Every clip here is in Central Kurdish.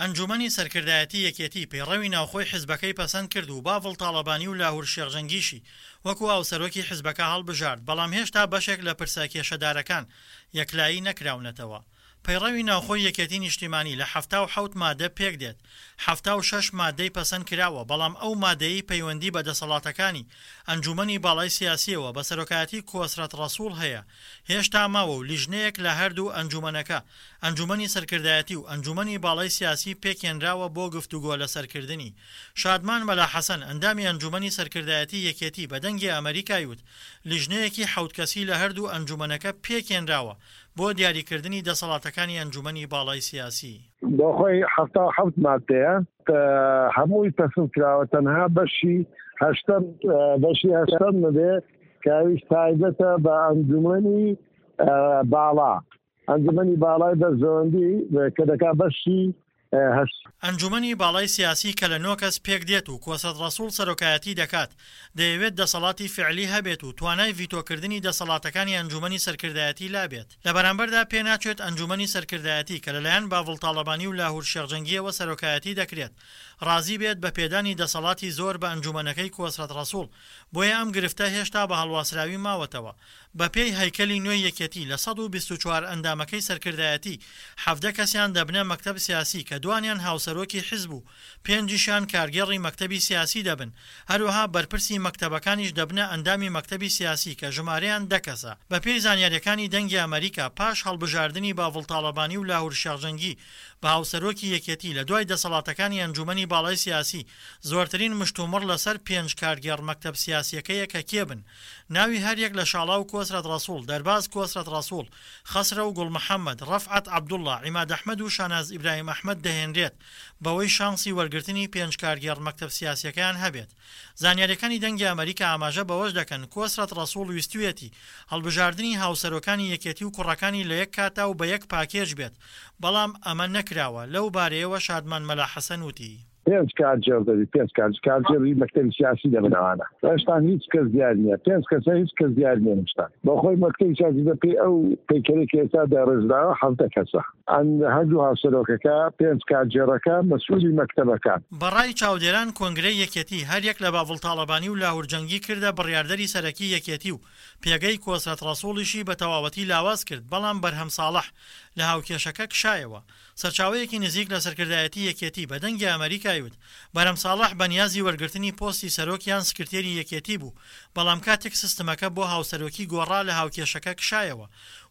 ئەنجوومەنی سەرکردایەتی یەکێتی پەیڕەوی ناوخۆی حزبەکەی پەسەند کرد و باڤڵ تاڵەبانی و لاهور شێخ جەنگیشی وەکو هاوسەرۆکی حزبەکە هەڵبژارد، بەڵام هێشتا بەشێک لە پرسە کێشەدارەکان یەکلایی نەکراونەتەوە. پەیڕەوی ناوخۆی یەکێتی نیشتیمانی لە 77 مادە پێکدێت، 76 مادەی پەسەند کراوە، بەڵام ئەو مادەیەی پەیوەندی بە دەسەڵاتەکانی ئەنجوومەنی باڵای سیاسییەوە بە سەرۆکایەتی کۆسرەت ڕەسوڵ هەیە هێشتا ماوە و لیژنەیەک لە هەردوو ئەنجوومەنەکە، ئەنجوومەنی سەرکردایەتی و ئەنجوومەنی باڵای سیاسی پێکهێنراوە بۆ گفتوگۆ لەسەرکردنی. شادمان مەلا حەسەن، ئەندامی ئەنجوومەنی سەرکردایەتی یەکێتی بە دەنگی ئەمەریکای وت، لیژنەیەکی حەوت کەسی لە هەردوو ئەنجوومەنەکە پێکهێنراوە بۆ دیاریکردنی دەسەڵاتەکانی ئەنجوومەنی باڵای سیاسی. بۆ خۆی 77 ماددەیە هەمووی پەسند کراوە تەنها بەشی هەشتەم بەشی هەشتەم نەبێ کە ئەویش تایبەتە بە ئەنجومەنی باڵا ئەنجومەنی باڵای بەرژەوەندی کە دەکا بەشی هەشت. ئەنجومەنی باڵای سیاسی کە لە نۆ کەس پێکدێت و کۆسرەت ڕەسوڵ سەرۆکایەتی دەکات، دەیەوێت دەسەڵاتی فیعلی هەبێت و توانای ڤیتۆکردنی دەسەڵاتەکانی ئەنجومەنی سەرکردایەتی لابێت. لە بەرامبەردا پێناچێت ئەنجومەنی سەرکردایەتی کە لەلایەن باڤڵ تاڵەبانی و لاهور شێخ جەنگییەوە سەرۆکایەتی دەکرێت، ڕازی بێت بە پێدانی دەسەڵاتی زۆر بە ئەنجومەنەکەی کۆسرەت ڕەسوڵ، بۆیە ئەم گرفتە هێشتا بە هەڵواسراوی ماوەتەوە. بەپێی هەیکەلی نوێی یەکێتی لە 124 ئەندامەکەی سەرکردایەتی، 17 کەسیان دەبنە مەکتەب سیاسی کە دوانیان هاوسەرۆکی حزب و پێنجیشیان کارگێڕی مەکتەبی سیاسی دەبن، هەروەها بەرپرسی مەکتەبەکانیش دەبنە ئەندامی مەکتەبی سیاسی کە ژمارەیان دە کەسە. بەپێی زانیارییەکانی دەنگی ئەمەریکا، پاش هەڵبژاردنی باڤڵ تاڵەبانی و لاهور شێخ جەنگی بە هاوسەرۆکی یەکێتی لە دوای دەسەڵاتەکانی ئەنجومەنی باڵای سیاسی، زۆرترین مشتومڕ لەسەر پێنج کارگێڕ مەکتەب سیاسیەکەیە کە کێ بن. ناوی هەریەک لە شاڵاو کۆسرەت ڕەسوڵ، دەرباز کۆسرەت ڕەسوڵ، خەسرەو گوڵ محەمەد، ڕەفعەت عەبدوڵا، عیماد ئەحمەد و شاناز ئیبراهیم ئەحمەد دەهێنرێت بەوەی شانسی وەرگرتنی پێنج کارگێڕ مەکتەب سیاسیەکەیان هەبێت. زانیاریەکانی دەنگی ئەمەریکا ئاماژە بەوەش دەکەن کۆسرەت ڕەسوڵ ویستویەتی هەڵبژاردنی هاوسەرۆکانی یەکێتی و کوڕەکانی لە یەک کاتا و بە یەک پاکێج بێت، بەڵام ئەمە نەکراوە، لەو بارەیەوە شادمان مەلا حەسەن وتی. پێنج کارگێڕ دەبی پێنج کار کارگێڕی مەکتەبی سیاسی دەبن ئەوانە هێشتان هیچ کەس دیار نییە پێنج کەسە هیچ کەس دیار نییە هێشتا بۆ خۆی مەکتەبی سیاسی بە پێی ئەو پەیکەرەی کە ئێستا داڕێژراوە 17 کەسە ئەن هەردوو هاوسەرۆکەکە پێنج کارگێڕەکە مەسئولی مەکتەبەکان. بە ڕای چاودێران کۆنگرەی یەکێتی هەریەک لە باڤڵ تاڵەبانی و لاهور جەنگی کردە بڕیاردەری سەرەکی یەکێتی و پێگەی کۆسرەت ڕەسوڵیشی بە تەواوەتی لاواز کرد، بەڵام بەرهەم ساڵح لە هاوکێشەکە کشایەوە. سەرچاوەیەکی نزیک لە سەرکردایەتی یەکێتی بە دەنگی ئەمەریکای وت، بەرهەم ساڵح بە نیازی وەرگرتنی پۆستی سەرۆک یان سکرتێری یەکێتی بوو، بەڵام کاتێک سیستمەکە بۆ هاوسەرۆکی گۆڕا لە هاوکێشەکە کشایەوە.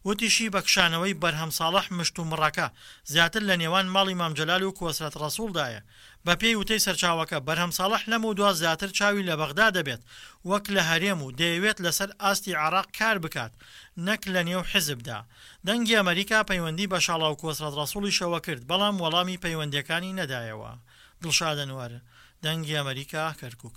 وتیشی بە کشانەوەی بەرهەم ساڵح مشتومڕەکە زیاتر لە نێوان ماڵی مام جەلال و کۆسرەت ڕەسوڵدایە. بەپێی وتەی سەرچاوەکە، بەرهەم ساڵح لەمەودوا زیاتر چاوی لە بەغدا دەبێت وەک لە هەرێم و دەیەوێت لەسەر ئاستی عێراق کار بکات نەک لەنێو حیزبدا. دەنگی ئەمەریکا پەیوەندی بە شاڵاو کۆسرەت ڕەسوڵیشەوە کرد، بەڵام وەڵامی پەیوەندییەکانی نەدایەوە. دڵشاد ئەنوەر، دەنگی ئەمەریکا، کەرکوک.